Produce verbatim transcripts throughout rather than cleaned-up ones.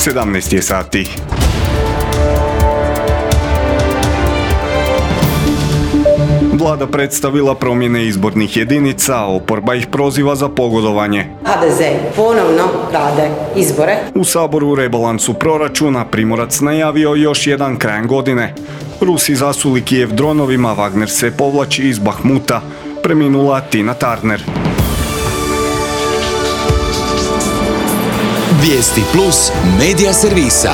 sedamnaest je sati. Vlada predstavila promjene izbornih jedinica, oporba ih proziva za pogodovanje. ha de ze ponovno krade izbore. U Saboru u rebalansu proračuna Primorac najavio još jedan krajem godine. Rusi zasuli Kijev dronovima, Wagner se povlači iz Bahmuta. Preminula Tina Turner. Vijesti plus medija servisa.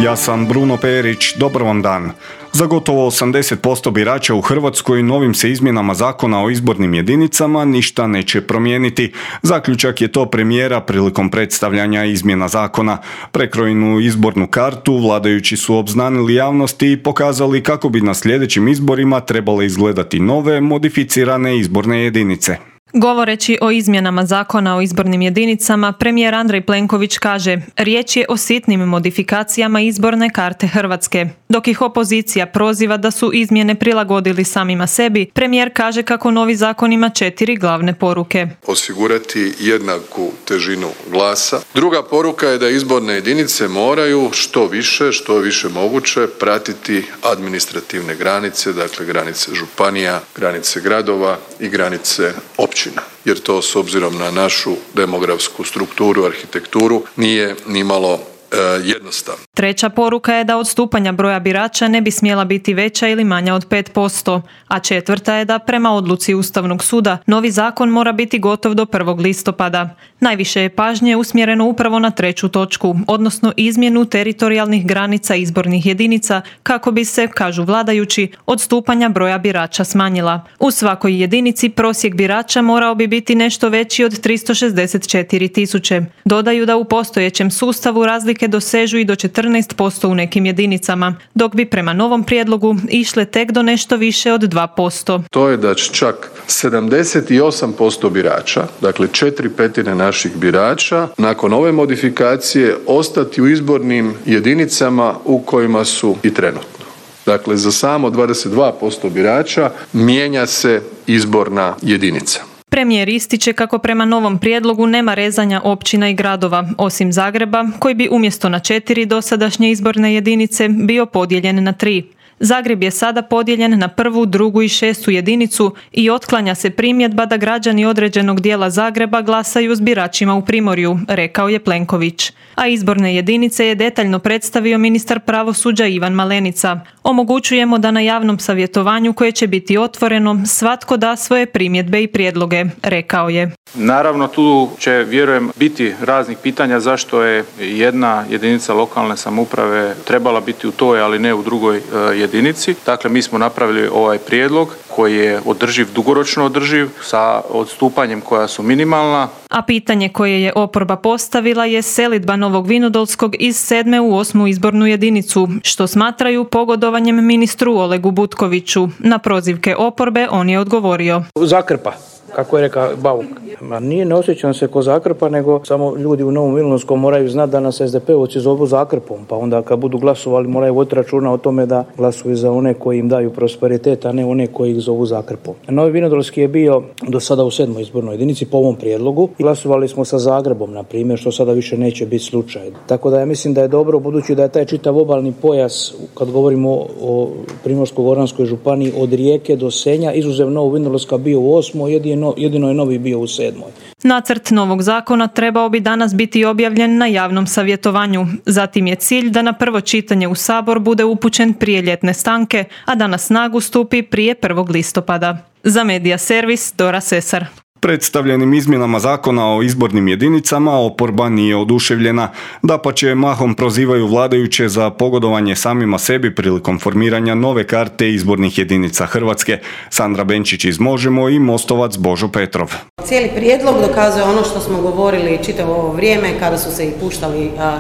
Ja sam Bruno Perić, dobar vam dan. Za gotovo osamdeset posto birača u Hrvatskoj novim se izmjenama zakona o izbornim jedinicama ništa neće promijeniti. Zaključak je to premijera prilikom predstavljanja izmjena zakona. Prekrojenu izbornu kartu vladajući su obznanili javnosti i pokazali kako bi na sljedećim izborima trebale izgledati nove, modificirane izborne jedinice. Govoreći o izmjenama zakona o izbornim jedinicama, premijer Andrej Plenković kaže: riječ je o sitnim modifikacijama izborne karte Hrvatske. Dok ih opozicija proziva da su izmjene prilagodili samima sebi, premijer kaže kako novi zakon ima četiri glavne poruke. Osigurati jednaku težinu glasa. Druga poruka je da izborne jedinice moraju što više, što više moguće pratiti administrativne granice, dakle granice županija, granice gradova i granice općina. Jer to s obzirom na našu demografsku strukturu, arhitekturu nije nimalo e, jednostavno. Treća poruka je da odstupanja broja birača ne bi smjela biti veća ili manja od pet posto, a četvrta je da prema odluci Ustavnog suda novi zakon mora biti gotov do prvog listopada. Najviše je pažnje usmjereno upravo na treću točku, odnosno izmjenu teritorijalnih granica izbornih jedinica kako bi se, kažu vladajući, odstupanja broja birača smanjila. U svakoj jedinici prosjek birača morao bi biti nešto veći od tristo šezdeset četiri tisuće. Dodaju da u postojećem sustavu razlike dosežu i do četrnaest posto u nekim jedinicama, dok bi prema novom prijedlogu išle tek do nešto više od dva posto. To je da će čak sedamdeset osam posto birača, dakle četiri petine naših birača, nakon ove modifikacije ostati u izbornim jedinicama u kojima su i trenutno. Dakle, za samo dvadeset dva posto birača mijenja se izborna jedinica. Premijer ističe kako prema novom prijedlogu nema rezanja općina i gradova, osim Zagreba, koji bi umjesto na četiri dosadašnje izborne jedinice bio podijeljen na tri. Zagreb je sada podijeljen na prvu, drugu i šestu jedinicu i otklanja se primjedba da građani određenog dijela Zagreba glasaju s biračima u Primorju, rekao je Plenković. A izborne jedinice je detaljno predstavio ministar pravosuđa Ivan Malenica. Omogućujemo da na javnom savjetovanju koje će biti otvoreno svatko da svoje primjedbe i prijedloge, rekao je. Naravno tu će, vjerujem, biti raznih pitanja zašto je jedna jedinica lokalne samouprave trebala biti u toj, ali ne u drugoj jedinici. Dakle, mi smo napravili ovaj prijedlog koji je održiv, dugoročno održiv, sa odstupanjem koja su minimalna. A pitanje koje je oporba postavila je selidba Novog Vinodolskog iz sedme u osmu izbornu jedinicu, što smatraju pogodovanjem ministru Olegu Butkoviću. Na prozivke oporbe on je odgovorio: Zakrpa. Kako je rekao Bauk. Ma nije, ne osjećam se ko Zakrpa, nego samo ljudi u Novom Vinodolskom moraju znati da nas es de pe-ovci zovu Zakrpom, pa onda kad budu glasovali moraju voditi računa o tome da glasuju za one koji im daju prosperitet, a ne one koji ih zovu Zakrpom. Novi Vinodolski je bio do sada u sedmoj izbornoj jedinici po ovom prijedlogu. Glasovali smo sa Zagrebom, na primjer, što sada više neće biti slučaj. Tako da ja mislim da je dobro, budući da je taj čitav obalni pojas, kad govorimo o, o Primorsko-goranskoj županiji, od Rijeke do Senja, izuzev Novog Vinodolska bio u osmoj, jedino jedino je novi bio u sedmoj. Nacrt novog zakona trebao bi danas biti objavljen na javnom savjetovanju. Zatim je cilj da na prvo čitanje u Sabor bude upućen prije ljetne stanke, a da na snagu stupi prije prvog listopada. Za Medija servis Dora Sesar. Predstavljenim izmjenama zakona o izbornim jedinicama oporba nije oduševljena. Dapače, mahom prozivaju vladajuće za pogodovanje samima sebi prilikom formiranja nove karte izbornih jedinica Hrvatske. Sandra Benčić iz Možemo i Mostovac Božo Petrov. Cijeli prijedlog dokazuje ono što smo govorili čitavo ovo vrijeme kada su se i puštali a,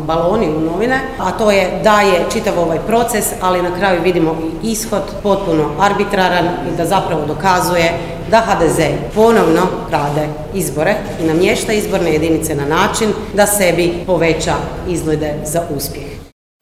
baloni u novine, a to je da je čitav ovaj proces, ali na kraju vidimo i ishod potpuno arbitraran i da zapravo dokazuje da ha de ze ponovno krade izbore i namješta izborne jedinice na način da sebi poveća izglede za uspjeh.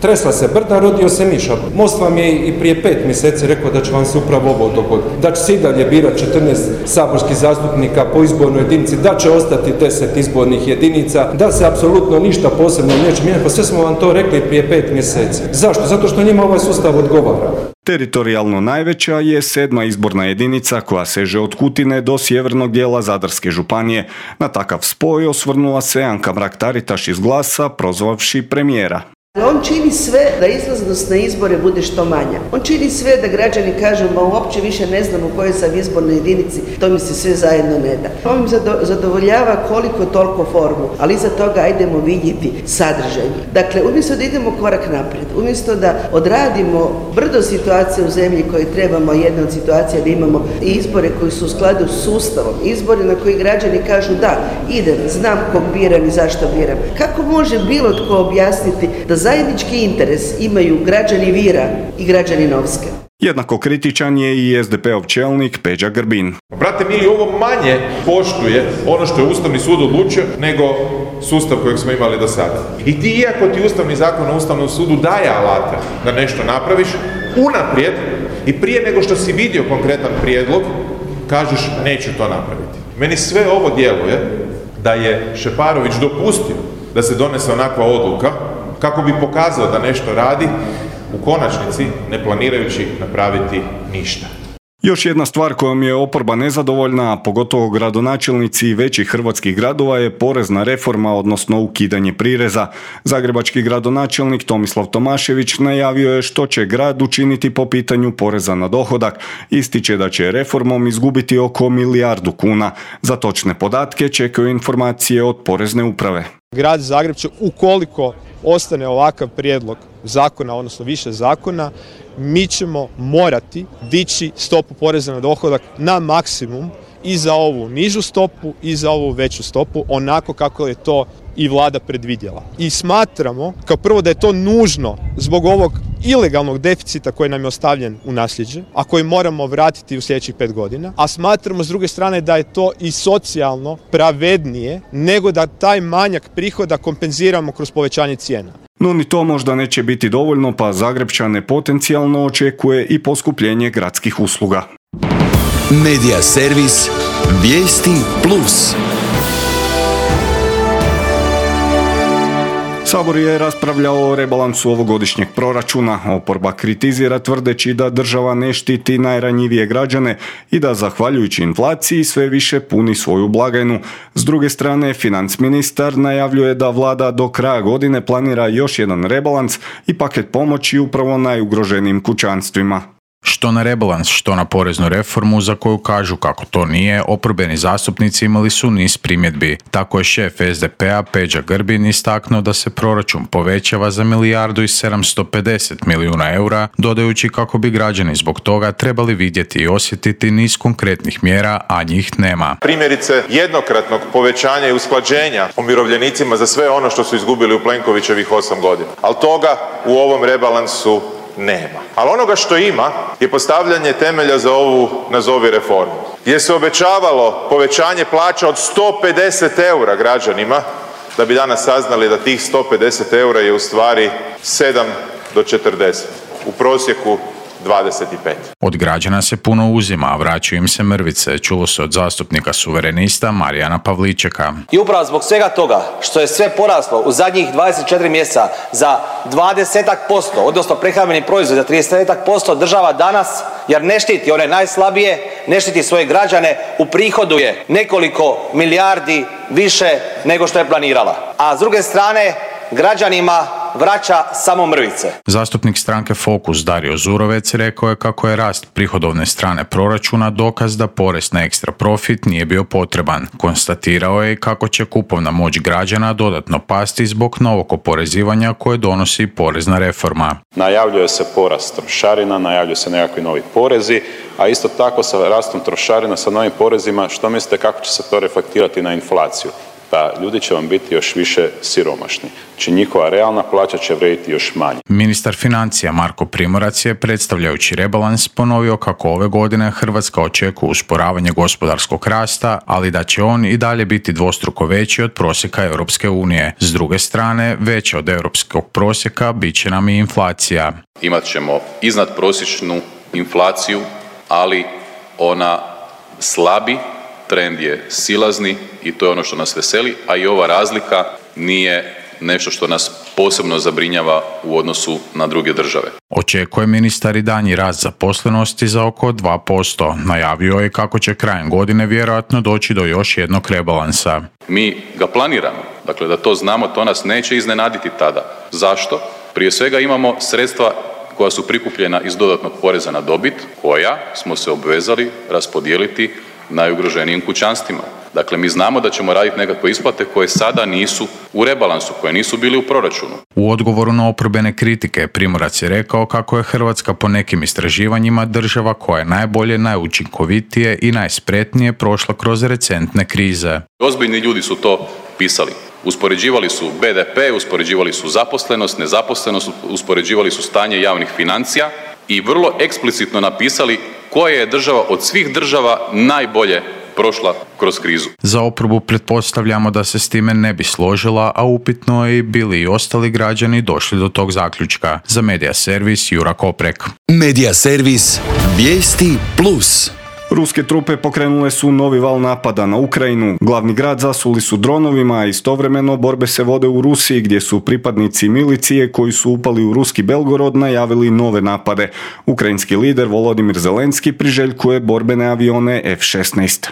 Tresla se brda, rodio se miša. Most vam je i prije pet mjeseci rekao da će vam se upravo ovo dogoditi. Da će se i dalje birati četrnaest saborskih zastupnika po izbornoj jedinici, da će ostati deset izbornih jedinica, da se apsolutno ništa posebno neće mijenjati. Pa sve smo vam to rekli prije pet mjeseci. Zašto? Zato što njima ovaj sustav odgovara. Teritorijalno najveća je sedma izborna jedinica koja seže od Kutine do sjevernog dijela Zadarske županije. Na takav spoj osvrnula se Anka Mrak-Taritaš iz Glasa, prozvavši premijera. On čini sve da izlaznost na izbore bude što manja. On čini sve da građani kažu, ma uopće više ne znam u kojoj sam izbornoj jedinici, to mi se sve zajedno ne da. On im zadovoljava koliko toliko formu, ali iza toga ajdemo vidjeti sadržaj. Dakle, umjesto da idemo korak naprijed, umjesto da odradimo brdo situacije u zemlji koje trebamo, jedna od situacija da imamo izbore koji su u skladu s sustavom, izbore na koji građani kažu da, idem, znam kog biram i zašto biram. Kako može bilo tko objasniti da zajednički interes imaju građani Vira i građani Novske? Jednako kritičan je i es de pe ov čelnik Peđa Grbin. Brate mili, ovo manje poštuje ono što je Ustavni sud odlučio nego sustav kojeg smo imali do sada. I ti, iako ti Ustavni zakon o Ustavnom sudu daje alate da nešto napraviš, unaprijed i prije nego što si vidio konkretan prijedlog, kažeš neću to napraviti. Meni sve ovo djeluje da je Šeparović dopustio da se donese onakva odluka kako bi pokazao da nešto radi, u konačnici ne planirajući napraviti ništa. Još jedna stvar kojom je oporba nezadovoljna, a pogotovo gradonačelnici većih hrvatskih gradova, je porezna reforma, odnosno ukidanje prireza. Zagrebački gradonačelnik Tomislav Tomašević najavio je što će grad učiniti po pitanju poreza na dohodak. Ističe da će reformom izgubiti oko milijardu kuna. Za točne podatke čekaju informacije od porezne uprave. Grad Zagreb će, ukoliko ostane ovakav prijedlog zakona, odnosno više zakona, mi ćemo morati dići stopu poreza na dohodak na maksimum i za ovu nižu stopu i za ovu veću stopu, onako kako je to i vlada predvidjela. I smatramo, kao prvo, da je to nužno zbog ovog ilegalnog deficita koji nam je ostavljen u nasljeđe, a koji moramo vratiti u sljedećih pet godina, a smatramo s druge strane da je to i socijalno pravednije nego da taj manjak prihoda kompenziramo kroz povećanje cijena. No ni to možda neće biti dovoljno, pa Zagrepčane potencijalno očekuje i poskupljenje gradskih usluga. Medija servis Vijesti plus. Sabor je raspravljao o rebalansu ovogodišnjeg proračuna. Oporba kritizira tvrdeći da država ne štiti najranjivije građane i da zahvaljujući inflaciji sve više puni svoju blagajnu. S druge strane, financ ministar najavljuje da vlada do kraja godine planira još jedan rebalans i paket pomoći upravo najugroženijim kućanstvima. Što na rebalans, što na poreznu reformu za koju kažu kako to nije, oporbeni zastupnici imali su niz primjedbi. Tako je šef es de pe a Peđa Grbin istaknuo da se proračun povećava za milijardu i sedamsto pedeset milijuna eura, dodajući kako bi građani zbog toga trebali vidjeti i osjetiti niz konkretnih mjera, a njih nema. Primjerice jednokratnog povećanja i usklađenja umirovljenicima za sve ono što su izgubili u Plenkovićevih osam godina. Ali toga u ovom rebalansu nema. Ali onoga što ima je postavljanje temelja za ovu nazovi reformu, gdje se obećavalo povećanje plaća od sto pedeset eura građanima, da bi danas saznali da tih sto pedeset eura je u stvari sedam do četrdeset. U prosjeku dvadeset pet. Od građana se puno uzima, a vraćaju im se mrvice, čulo se od zastupnika suverenista Marijana Pavličeka. I upravo zbog svega toga što je sve poraslo u zadnjih dvadeset četiri mjeseca za dvadeset posto, odnosno prehrambeni proizvod za trideset posto, država danas, jer ne štiti one najslabije, ne štiti svoje građane, uprihoduje nekoliko milijardi više nego što je planirala. A s druge strane, građanima vraća samo mrvice. Zastupnik stranke Fokus Dario Zurovec rekao je kako je rast prihodovne strane proračuna dokaz da porez na ekstra profit nije bio potreban. Konstatirao je kako će kupovna moć građana dodatno pasti zbog novog oporezivanja koje donosi porezna reforma. Najavljuje se porast trošarina, najavljuju se nekakvi novi porezi, a isto tako sa rastom trošarina, sa novim porezima, što mislite kako će se to reflektirati na inflaciju? pa ljudi će vam biti još više siromašni. Znači njihova realna plaća će vrijediti još manje. Ministar financija Marko Primorac je, predstavljajući rebalans, ponovio kako ove godine Hrvatska očekuje usporavanje gospodarskog rasta, ali da će on i dalje biti dvostruko veći od prosjeka Europske unije. S druge strane, veća od europskog prosjeka bit će nam i inflacija. Imat ćemo iznad prosječnu inflaciju, ali ona slabi, trend je silazni i to je ono što nas veseli, a i ova razlika nije nešto što nas posebno zabrinjava u odnosu na druge države. Očekuje ministar i daljnji rast zaposlenosti za oko dva posto. Najavio je kako će krajem godine vjerojatno doći do još jednog rebalansa. Mi ga planiramo, dakle da to znamo, to nas neće iznenaditi tada. Zašto? Prije svega imamo sredstva koja su prikupljena iz dodatnog poreza na dobit, koja smo se obvezali raspodijeliti najugroženijim kućanstvima. Dakle, mi znamo da ćemo raditi nekakve isplate koje sada nisu u rebalansu, koje nisu bili u proračunu. U odgovoru na oporbene kritike Primorac je rekao kako je Hrvatska po nekim istraživanjima država koja je najbolje, najučinkovitije i najspretnije prošla kroz recentne krize. Ozbiljni ljudi su to pisali. Uspoređivali su be de pe, uspoređivali su zaposlenost, nezaposlenost, uspoređivali su stanje javnih financija i vrlo eksplicitno napisali koja je država od svih država najbolje prošla kroz krizu. Za oporbu pretpostavljamo da se s time ne bi složila, a upitno je i bili i ostali građani došli do tog zaključka. Za Medija Servis, Jura Koprek. Medija Servis, vijesti plus. Ruske trupe pokrenule su novi val napada na Ukrajinu. Glavni grad zasuli su dronovima, a istovremeno borbe se vode u Rusiji, gdje su pripadnici milicije koji su upali u ruski Belgorod najavili nove napade. Ukrajinski lider Volodimir Zelenski priželjkuje borbene avione ef šesnaest.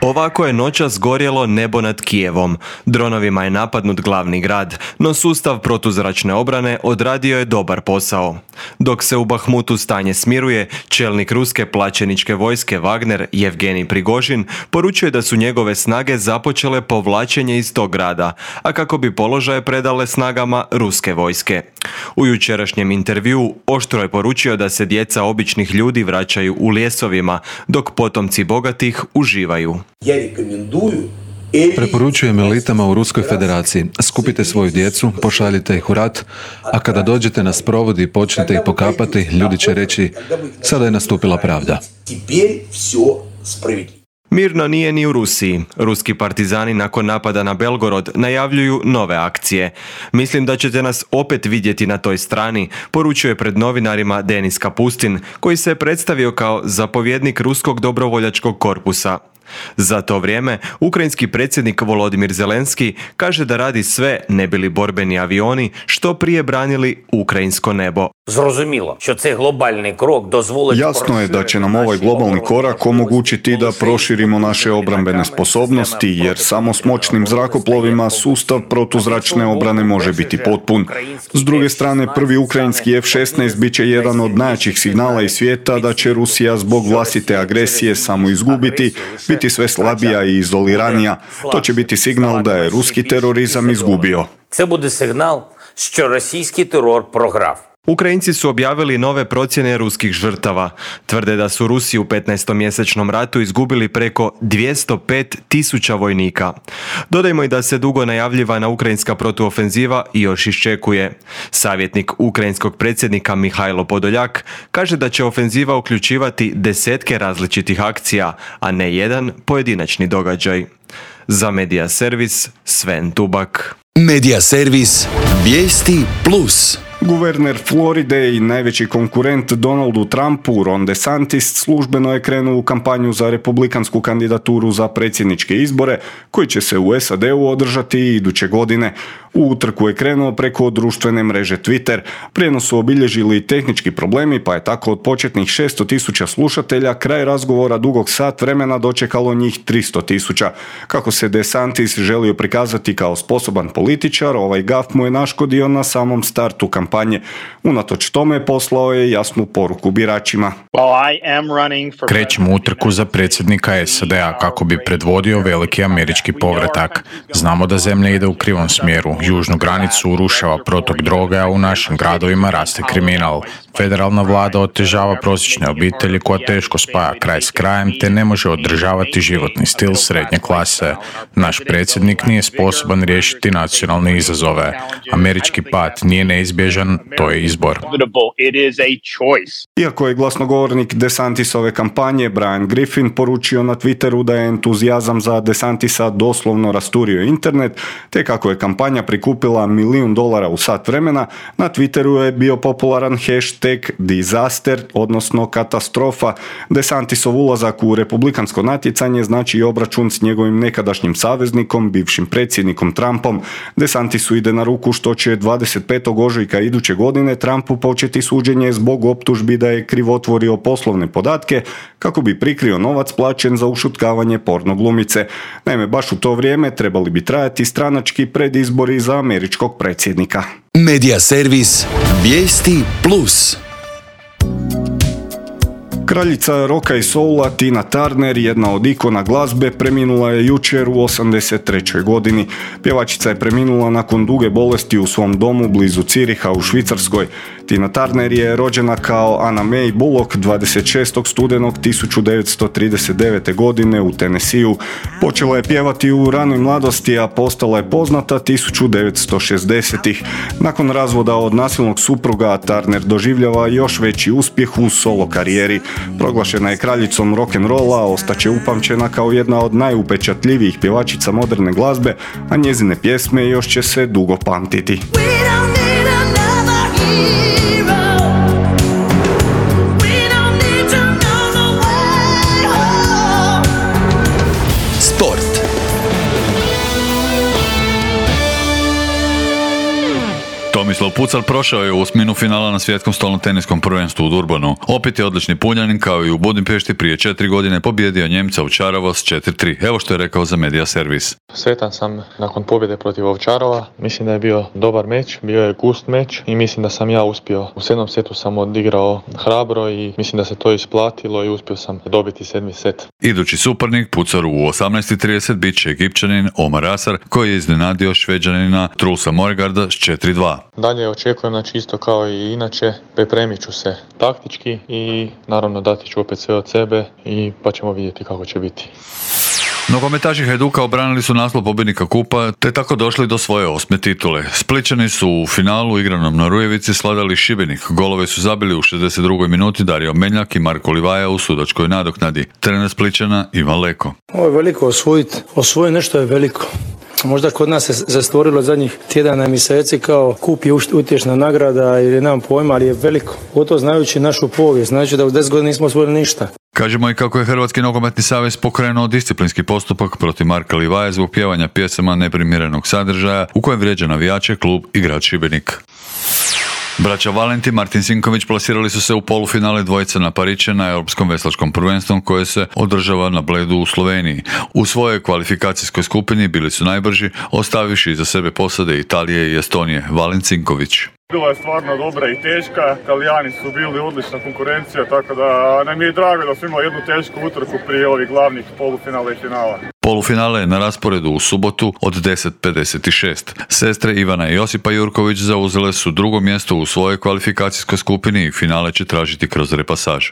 Ovako je noćas gorjelo nebo nad Kijevom. Dronovima je napadnut glavni grad, no sustav protuzračne obrane odradio je dobar posao. Dok se u Bahmutu stanje smiruje, čelnik ruske plaćeničke vojske Wagner, Jevgenij Prigožin, poručuje da su njegove snage započele povlačenje iz tog grada, a kako bi položaje predale snagama ruske vojske. U jučerašnjem intervjuu oštro je poručio da se djeca običnih ljudi vraćaju u lijesovima, dok potomci bogatih uživaju. Preporučujem elitama u Ruskoj federaciji, skupite svoju djecu, pošaljite ih u rat, a kada dođete na sprovod i počnete ih pokapati, ljudi će reći, sada je nastupila pravda. Mirno nije ni u Rusiji. Ruski partizani nakon napada na Belgorod najavljuju nove akcije. Mislim da ćete nas opet vidjeti na toj strani, poručuje pred novinarima Denis Kapustin, koji se je predstavio kao zapovjednik ruskog dobrovoljačkog korpusa. Za to vrijeme, ukrajinski predsjednik Volodimir Zelenski kaže da radi sve ne bi li borbeni avioni što prije branili ukrajinsko nebo. Jasno je da će nam ovaj globalni korak omogućiti da proširimo naše obrambene sposobnosti, jer samo s moćnim zrakoplovima sustav protuzračne obrane može biti potpun. S druge strane, prvi ukrajinski ef šesnaest bit će jedan od najjačih signala iz svijeta da će Rusija zbog vlastite agresije samo izgubiti, biti sve slabija i izoliranija. To će biti signal da je ruski terorizam izgubio. Це буде сигнал, що російський терор програв. Ukrajinci su objavili nove procjene ruskih žrtava. Tvrde da su Rusi u petnaestomjesečnom ratu izgubili preko dvjesto pet tisuća vojnika. Dodajmo i da se dugo najavljivana ukrajinska protuofenziva još iščekuje. Savjetnik ukrajinskog predsjednika Mihajlo Podoljak kaže da će ofenziva uključivati desetke različitih akcija, a ne jedan pojedinačni događaj. Za Medija Servis, Sven Tubak. Medija Servis, vijesti plus. Guverner Floride i najveći konkurent Donaldu Trumpu, Ron DeSantis, službeno je krenuo u kampanju za republikansku kandidaturu za predsjedničke izbore, koji će se u es a de u održati iduće godine. U utrku je krenuo preko društvene mreže Twitter. Prijenos su obilježili tehnički problemi, pa je tako od početnih šesto tisuća slušatelja kraj razgovora dugog sat vremena dočekalo njih tristo tisuća. Kako se DeSantis želio prikazati kao sposoban političar, ovaj gaf mu je naškodio na samom startu kampanje. kampanje. Unatoč tome poslao je jasnu poruku biračima. Krećem utrku za predsjednika S A D-a kako bi predvodio veliki američki povratak. Znamo da zemlja ide u krivom smjeru. Južnu granicu urušava protok droge, a u našim gradovima raste kriminal. Federalna vlada otežava prosječne obitelji koja teško spaja kraj s krajem te ne može održavati životni stil srednje klase. Naš predsjednik nije sposoban riješiti nacionalne izazove. Američki pad nije neizbježan, to je izbor. Iako je glasnogovornik DeSantisove kampanje Brian Griffin poručio na Twitteru da je entuzijazam za DeSantisa doslovno rasturio internet, te kako je kampanja prikupila milijun dolara u sat vremena, na Twitteru je bio popularan hashtag disaster, odnosno katastrofa. DeSantisov ulazak u republikansko natjecanje znači i obračun s njegovim nekadašnjim saveznikom, bivšim predsjednikom Trumpom. DeSantisu ide na ruku što će dvadeset petog ožujka iduće godine Trumpu početi suđenje zbog optužbi da je krivotvorio poslovne podatke kako bi prikrio novac plaćen za ušutkavanje porno glumice. Naime, baš u to vrijeme trebali bi trajati stranački predizbori za američkog predsjednika. Medija servis Vijesti Plus. Kraljica roka i soula Tina Turner, jedna od ikona glazbe, preminula je jučer u osamdeset trećoj godini. Pjevačica je preminula nakon duge bolesti u svom domu blizu Ciriha u Švicarskoj. Tina Turner je rođena kao Anna May Bullock dvadeset šestog studenog tisuću devetsto trideset devete. godine u Tennesseeu. Počela je pjevati u ranoj mladosti, a postala je poznata tisuću devetsto šezdesetih. Nakon razvoda od nasilnog supruga, Turner doživljava još veći uspjeh u solo karijeri. Proglašena je kraljicom rock'n'rolla, ostaće upamćena kao jedna od najupečatljivijih pjevačica moderne glazbe, a njezine pjesme još će se dugo pamtiti. Tomislav Pucal prošao je u osminu finala na svjetskom stolnom teniskom prvenstvu u Durbanu. Opet je odlični Puljanin, kao i u Budimpešti prije četiri godine, pobjedio Njemca Ovčarova s četiri tri. Evo što je rekao za Medija servis. Sretan sam nakon pobjede protiv Ovčarova. Mislim da je bio dobar meč, bio je gust meč i mislim da sam ja uspio. U sedmom setu sam odigrao hrabro i mislim da se to isplatilo i uspio sam dobiti sedmi set. Idući suparnik Pucalu u osamnaest i trideset bit će Egipćanin Omar Asar, koji je iznenadio Šveđanina Trulsa Morgarda s četiri dva. Dalje očekujem, znači isto kao i inače, pripremit ću se taktički i naravno dati ću opet sve od sebe i pa ćemo vidjeti kako će biti. Nogometaši Hajduka obranili su naslov pobjednika kupa te tako došli do svoje osme titule. Splićani su u finalu igranom na Rujevici sladali Šibenik. Golove su zabili u šezdeset drugoj minuti Dario Meljak i Marko Livaja u sudačkoj nadoknadi. Trener Splićana Ivan Leko. Ovo je veliko osvojiti. Osvoji nešto je veliko. Možda kod nas se zastvorilo zadnjih tjedana i mjeseci kao kup je utješna nagrada ili nemam pojma, ali je veliko. O to znajući našu povijest, znači da u deset godina nismo osvojili ništa. Kažemo i kako je Hrvatski nogometni savez pokrenuo disciplinski postupak protiv Marka Livaje zbog pjevanja pjesama neprimjerenog sadržaja u kojem vrijeđa navijače, klub i grad Šibenik. Braća Valenti Martin Sinković plasirali su se u polufinale dvojice na Pariće na Europskom veslačkom prvenstvu koje se održava na Bledu u Sloveniji. U svojoj kvalifikacijskoj skupini bili su najbrži, ostavivši iza sebe posade Italije i Estonije. Valent Sinković. Bila je stvarno dobra i teška, Italijani su bili odlična konkurencija, tako da nam je drago da su imali jednu tešku utrku prije ovih glavnih polufinala i finala. Polufinale je na rasporedu u subotu od deset pedeset šest. Sestre Ivana i Josipa Jurković zauzele su drugo mjesto u svojoj kvalifikacijskoj skupini i finale će tražiti kroz repasaž.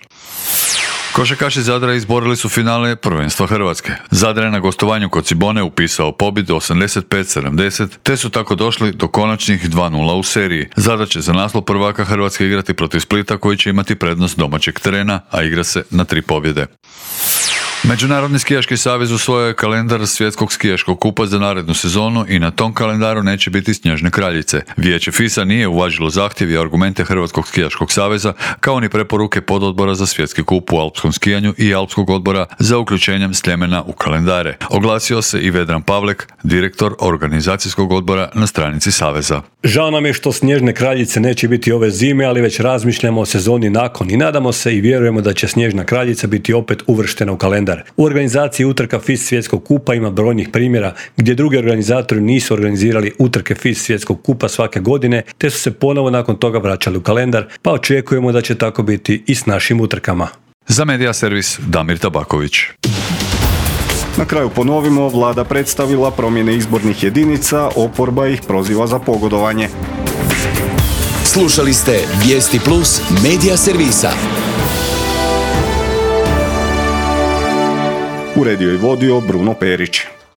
Košarkaši Zadra izborili su finale prvenstva Hrvatske. Zadar je na gostovanju kod Cibone upisao pobjedu osamdeset pet sedamdeset, te su tako došli do konačnih dva nula u seriji. Zadar će za naslov prvaka Hrvatske igrati protiv Splita koji će imati prednost domaćeg terena, a igra se na tri pobjede. Međunarodni skijaški savez usvojio je kalendar svjetskog skijaškog kupa za narednu sezonu i na tom kalendaru neće biti Snježne kraljice. Vijeće FIS-a nije uvažilo zahtjev i argumente Hrvatskog skijaškog saveza, kao ni preporuke pododbora za svjetski kup u alpskom skijanju i alpskog odbora za uključenjem Sljemena u kalendare. Oglasio se i Vedran Pavlek, direktor organizacijskog odbora na stranici saveza. Žao nam je što Snježne kraljice neće biti ove zime, ali već razmišljamo o sezoni nakon i nadamo se i vjerujemo da će Snježna kraljica biti opet uvrštena u kalendar. U organizaciji utrka F I S svjetskog kupa ima brojnih primjera gdje drugi organizatori nisu organizirali utrke F I S svjetskog kupa svake godine, te su se ponovo nakon toga vraćali u kalendar, pa očekujemo da će tako biti i s našim utrkama. Za Media servis Damir Tabaković. Na kraju ponovimo, vlada predstavila promjene izbornih jedinica, oporba ih proziva za pogodovanje. Slušali ste Vijesti Plus Media servisa. Uredio i vodio Bruno Perić.